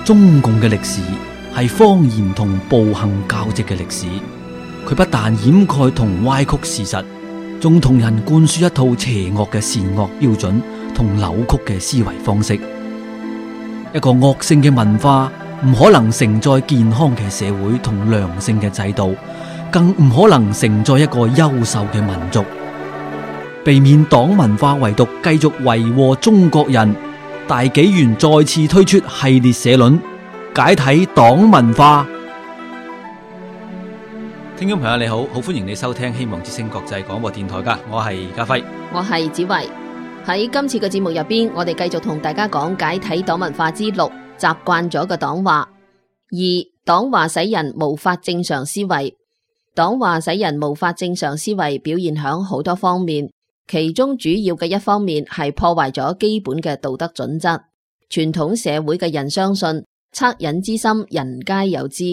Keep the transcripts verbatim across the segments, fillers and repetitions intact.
中共嘅歷史係謊言同暴行交織嘅歷史，佢不但掩蓋同歪曲事實，仲同人灌輸一套邪惡嘅善惡標準同扭曲嘅思維方式。一個惡性嘅文化唔可能承載健康嘅社會同良性嘅制度，更唔可能承載一個優秀嘅民族。避免黨文化遺毒繼續為禍中國人，大紀元再次推出系列社論，解體黨文化。聽眾朋友你好，好歡迎你收聽希望之聲國際廣播電台噶，我係家輝，我係子維。喺今次嘅節目入邊，我哋繼續同大家講解體黨文化之六，習慣咗嘅黨話。二、黨話使人無法正常思維。黨話使人無法正常思維，表現響好多方面。其中主要嘅一方面係破壞咗基本嘅道德準則。傳統社會嘅人相信惻隱之心人皆有之，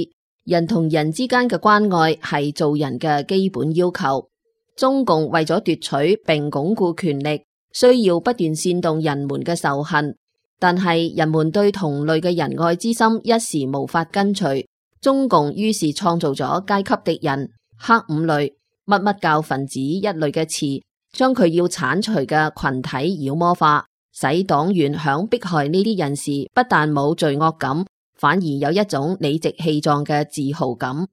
人同人之間嘅關愛係做人嘅基本要求。中共為咗奪取並鞏固權力，需要不斷煽動人們嘅仇恨，但係人們對同類嘅仁愛之心一時無法根除。中共於是創造咗階級敵人、黑五類、乜乜教分子一類嘅詞，將佢要鏟除嘅群體妖魔化，使黨員響迫害呢啲人士不但冇罪惡感，反而有一種理直氣壯嘅自豪感。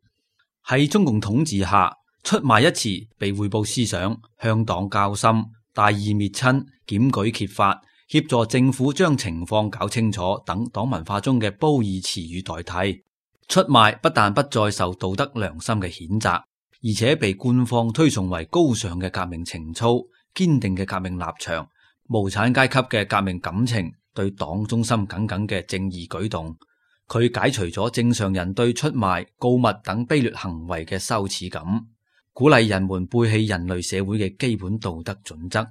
喺中共統治下，出賣一詞被匯報思想，向黨交心，大義滅親，檢舉揭發，協助政府將情況搞清楚等黨文化中嘅褒義詞語代替。出賣不但不再受道德良心嘅譴責，而且被官方推崇為高尚嘅革命情操、堅定嘅革命立場、無產階級嘅革命感情、對黨忠心耿耿嘅正義舉動。佢解除咗正常人對出賣、告密等卑劣行為嘅羞恥感，鼓勵人們背棄人類社會嘅基本道德準則。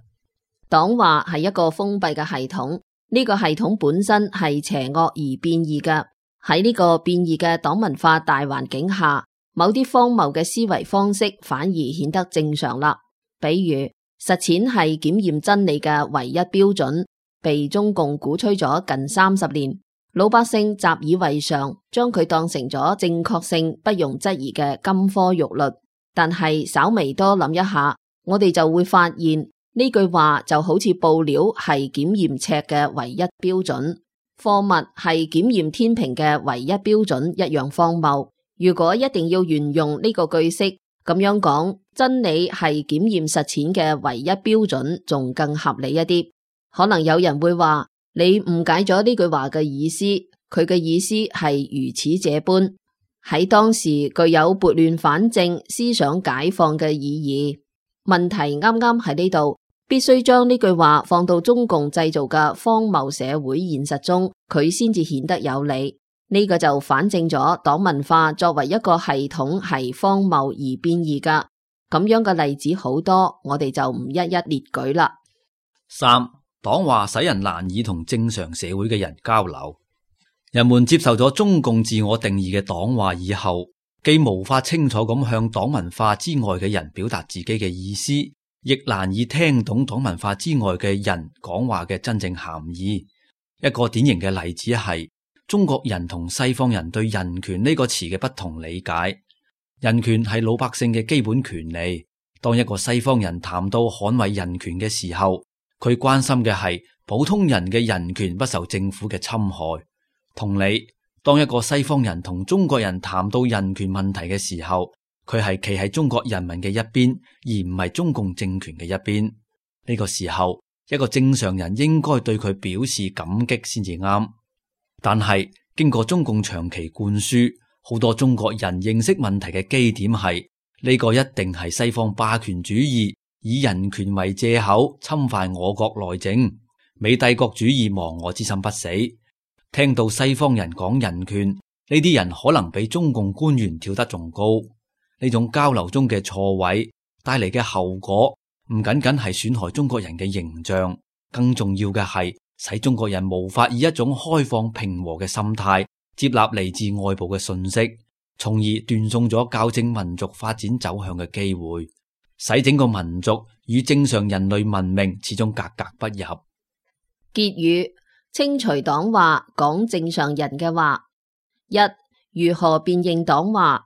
黨話係一個封閉嘅系統，呢個系統本身係邪惡而變異嘅。喺呢個變異嘅黨文化大環境下，某啲荒謬嘅思維方式反而顯得正常啦。比如實踐係檢驗真理嘅唯一標準，被中共鼓吹咗近三十年，老百姓習以為常，將佢當成咗正確性不容質疑嘅金科玉律。但係稍微多諗一下，我哋就會發現呢句話就好似布料係檢驗尺嘅唯一標準，貨物係檢驗天平嘅唯一標準一樣荒謬。如果一定要沿用呢個句式咁樣講，真理係檢驗實踐嘅唯一標準，仲更合理一啲。可能有人會話，你誤解咗呢句話嘅意思，佢嘅意思係如此這般，喺當時具有撥亂反正、思想解放嘅意義。問題啱啱喺呢度，必須將呢句話放到中共製造嘅荒謬社會現實中，佢先至顯得有理。呢個就反證咗黨文化作為一個系統係荒謬而變異噶。咁樣嘅例子好多，我哋就唔一一列舉啦。三、黨話使人難以同正常社會嘅人交流。人們接受咗中共自我定義嘅黨話以後，既無法清楚咁向黨文化之外嘅人表達自己嘅意思，亦難以聽懂黨文化之外嘅人講話嘅真正含義。一個典型嘅例子係中國人同西方人對人權呢個詞嘅不同理解。人權係老百姓嘅基本權利。當一個西方人談到捍衛人權嘅時候，佢關心嘅係普通人嘅人權不受政府嘅侵害。同理，當一個西方人同中國人談到人權問題嘅時候，佢係企喺中國人民嘅一邊，而唔係中共政權嘅一邊。呢個時候，一個正常人應該對佢表示感激先至啱。但係經過中共長期灌輸，好多中國人認識問題嘅基點係呢個一定係西方霸權主義以人權為借口侵犯我國內政，美帝國主義亡我之心不死。聽到西方人講人權，呢啲人可能比中共官員跳得仲高。呢種交流中嘅錯位帶嚟嘅後果，唔僅僅係損害中國人嘅形象，更重要嘅係使中國人無法以一種開放平和嘅心態接納嚟自外部嘅信息，從而斷送咗校正民族發展走向嘅機會，使整個民族與正常人類文明始終格格不入。結語：清除黨話，講正常人嘅話。一、如何辨認黨話？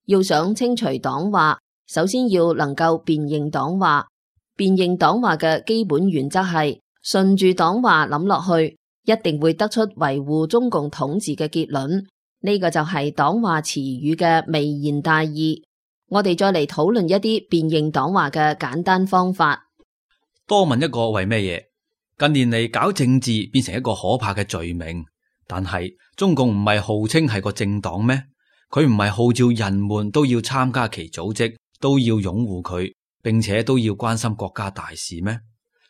要想清除黨話，首先要能夠辨認黨話。辨認黨話嘅基本原則係順住黨話諗落去，一定會得出維護中共統治嘅結論。呢個就係黨話詞語嘅微言大義。我哋再嚟討論一啲辨認黨話嘅簡單方法。多問一個為咩嘢？近年嚟搞政治變成一個可怕嘅罪名，但係中共唔係號稱係個政黨咩？佢唔係號召人們都要參加其組織，都要擁護佢，並且都要關心國家大事咩？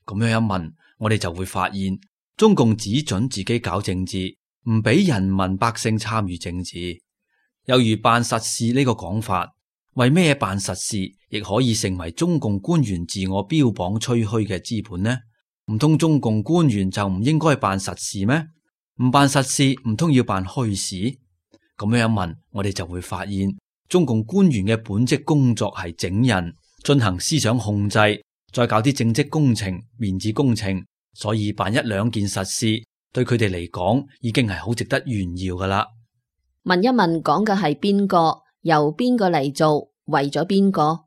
咁樣一問，我哋就會發現，中共只准自己搞政治，唔俾人民百姓參與政治。有如辦實事呢個講法，為咩辦實事亦可以成為中共官員自我標榜吹噓嘅資本呢？唔通中共官員就唔應該辦實事咩？唔辦實事唔通要辦虛事？咁樣一問，我哋就會發現，中共官員嘅本職工作係整人，進行思想控制，再搞啲政績工程、面子工程，所以辦一兩件實事，對佢哋嚟講已經係好值得炫耀噶啦。問一問講嘅係邊個，由邊個嚟做，為咗邊個？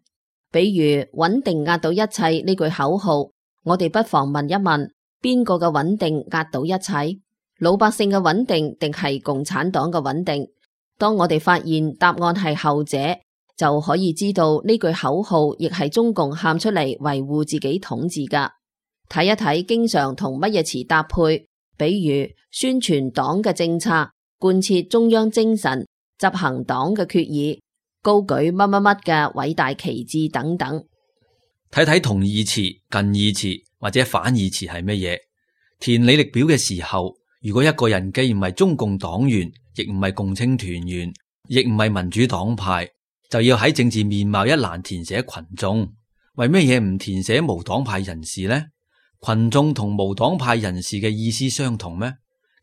比如穩定壓倒一切呢句口號，我哋不妨問一問，邊個嘅穩定壓倒一切？老百姓嘅穩定定係共產黨嘅穩定？當我哋發現答案係後者，就可以知道呢句口號亦係中共喊出嚟維護自己統治噶。睇一睇經常同乜嘢詞搭配，比如宣傳黨嘅政策、貫徹中央精神、執行黨嘅決議、高舉乜乜乜嘅偉大旗幟等等。睇睇同義詞、近義詞或者反義詞係乜嘢？填履歷表嘅時候，如果一個人既唔係中共黨員，亦唔係共青團員，亦唔係民主黨派，就要喺政治面貌一欄填寫群眾。為咩嘢唔填寫無黨派人士呢？群眾同無黨派人士嘅意思相同咩？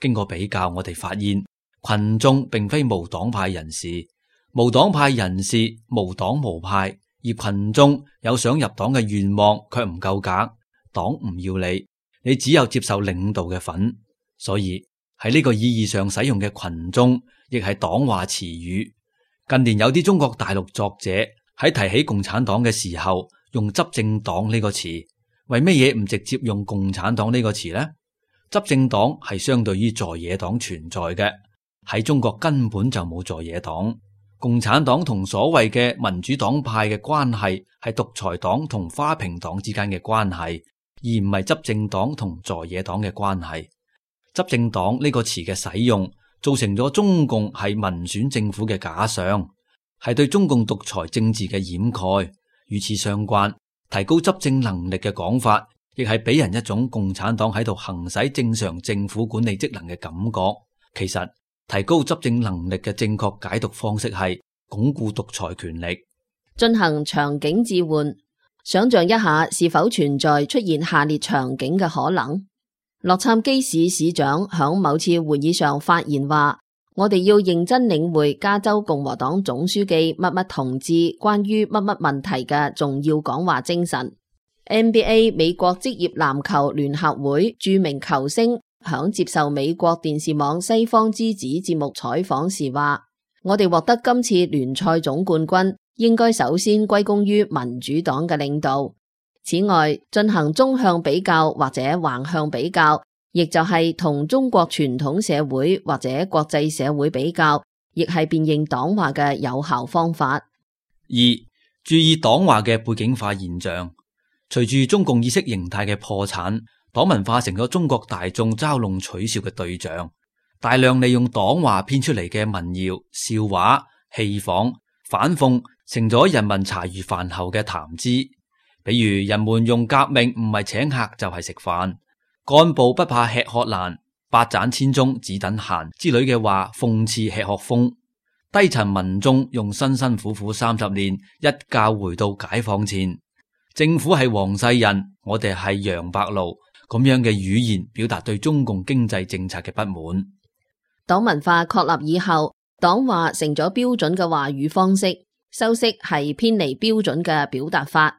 經過比較，我哋發現群眾並非無黨派人士，無黨派人士無黨無派，而群眾有想入黨嘅願望，卻唔夠格，黨唔要你，你只有接受領導嘅份。所以喺呢個意義上使用嘅群眾，亦係黨話詞語。近年有啲中國大陸作者喺提起共產黨嘅時候，用執政黨呢個詞，為乜嘢唔直接用共產黨呢個詞呢？執政黨係相對於在野黨存在嘅，喺中國根本就冇在野黨。共產黨同所謂嘅民主黨派嘅關係係獨裁黨同花瓶黨之間嘅關係，而唔係執政黨同在野黨嘅關係。執政黨呢個詞嘅使用，造成咗中共係民選政府嘅假象，係對中共獨裁政治嘅掩蓋。與此相關，提高執政能力嘅講法，亦係俾人一種共產黨喺度行使正常政府管理職能嘅感覺。其實提高執政能力嘅正確解讀方式係鞏固獨裁權力，進行場景置換。想象一下，是否存在出現下列場景嘅可能？洛杉磯市市長響某次會議上發言話：我哋要認真領會加州共和黨總書記乜乜同志關於乜乜問題嘅重要講話精神。N B A 美國職業籃球聯合會著名球星響接受美國電視網西方之子節目採訪時話：我哋獲得今次聯賽總冠軍，應該首先歸功於民主黨嘅領導。此外，進行縱向比較或者橫向比較，亦就係同中國傳統社會或者國際社會比較，亦係辨認黨話嘅有效方法。二、注意黨話嘅背景化現象。隨住中共意識形態嘅破產，黨文化成咗中國大眾嘲弄取笑嘅對象，大量利用黨話編出嚟嘅民謠、笑話、戲仿、反諷，成咗人民茶餘飯後嘅談資。比如人們用革命唔係請客就係食飯，幹部不怕吃喝難，百盞千鐘只等閒之類嘅話，諷刺吃喝風。低層民眾用辛辛苦苦三十年，一覺回到解放前，政府係黃世仁，我哋係楊白勞，咁樣嘅語言表達對中共經濟政策嘅不滿。黨文化確立以後，黨話成咗標準嘅話語方式，修飾係偏離標準嘅表達法。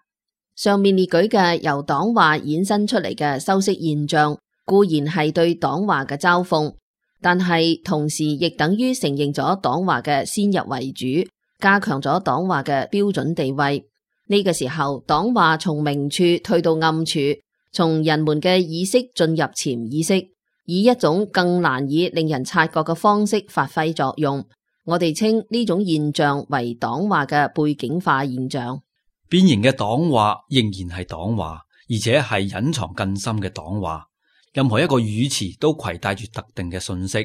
上面列舉嘅由黨話衍生出嚟嘅修飾現象，固然係對黨話嘅嘲諷，但係同時亦等於承認咗黨話嘅先入為主，加強咗黨話嘅標準地位。呢個時候，黨話從明處退到暗處，從人們嘅意識進入潛意識，以一種更難以令人察覺嘅方式發揮作用。我哋稱呢種現象為黨話嘅背景化現象。變形嘅黨話仍然係黨話，而且係隱藏更深嘅黨話。任何一個語詞都攜帶住特定嘅信息。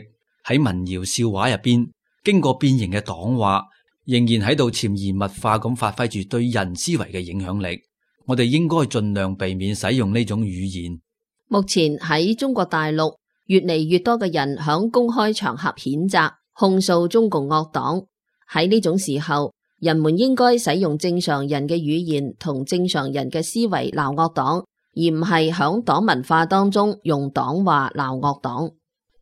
喺民謠笑話入邊，經過變形嘅黨話仍然喺度潛移默化咁發揮住對人思維嘅影響力。我哋應該盡量避免使用呢種語言。目前喺中國大陸，越嚟越多嘅人響公開場合譴責、控訴中共惡黨。喺呢種時候，人們應該使用正常人嘅語言同正常人嘅思維鬧惡黨，而唔係響黨文化當中用黨話鬧惡黨。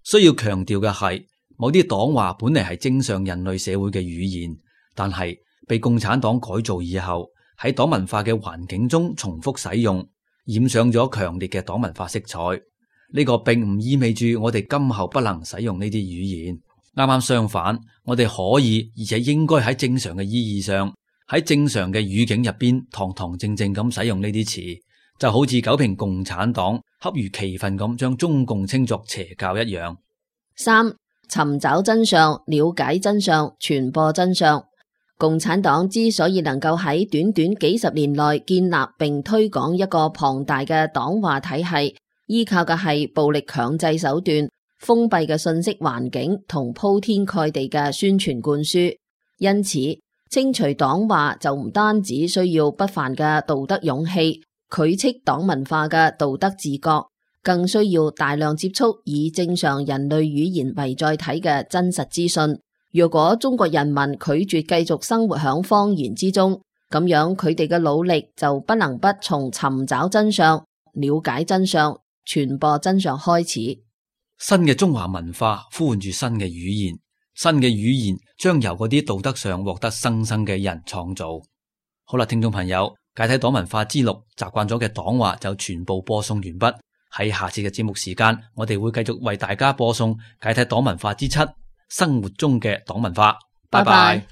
需要強調嘅係，某啲黨話本嚟係正常人類社會嘅語言，但係被共產黨改造以後，喺黨文化嘅環境中重複使用，染上咗強烈嘅黨文化色彩。呢個並唔意味住我哋今後不能使用呢啲語言。啱啱相反，我哋可以而且應該喺正常嘅意義上，喺正常嘅語境入邊，堂堂正正咁使用呢啲詞，就好似九評共產黨恰如其分咁將中共稱作邪教一樣。三、尋找真相、了解真相、傳播真相。共產黨之所以能夠喺短短幾十年內建立並推廣一個龐大嘅黨話體系，依靠嘅係暴力強制手段、封閉嘅信息環境同鋪天蓋地嘅宣傳灌輸。因此，清除黨話就唔單止需要不凡嘅道德勇氣，拒斥黨文化嘅道德自覺，更需要大量接觸以正常人類語言為載體嘅真實資訊。如果中國人民拒絕繼續生活喺謊言之中，咁樣佢哋嘅努力就不能不從尋找真相、了解真相、傳播真相開始。新嘅中華文化呼喚住新嘅語言，新嘅語言將由嗰啲道德上獲得生生嘅人創造。好啦，聽眾朋友，解體黨文化之六習慣咗嘅黨話就全部播送完畢。喺下次嘅節目時間，我哋會繼續為大家播送解體黨文化之七，生活中嘅黨文化。拜拜。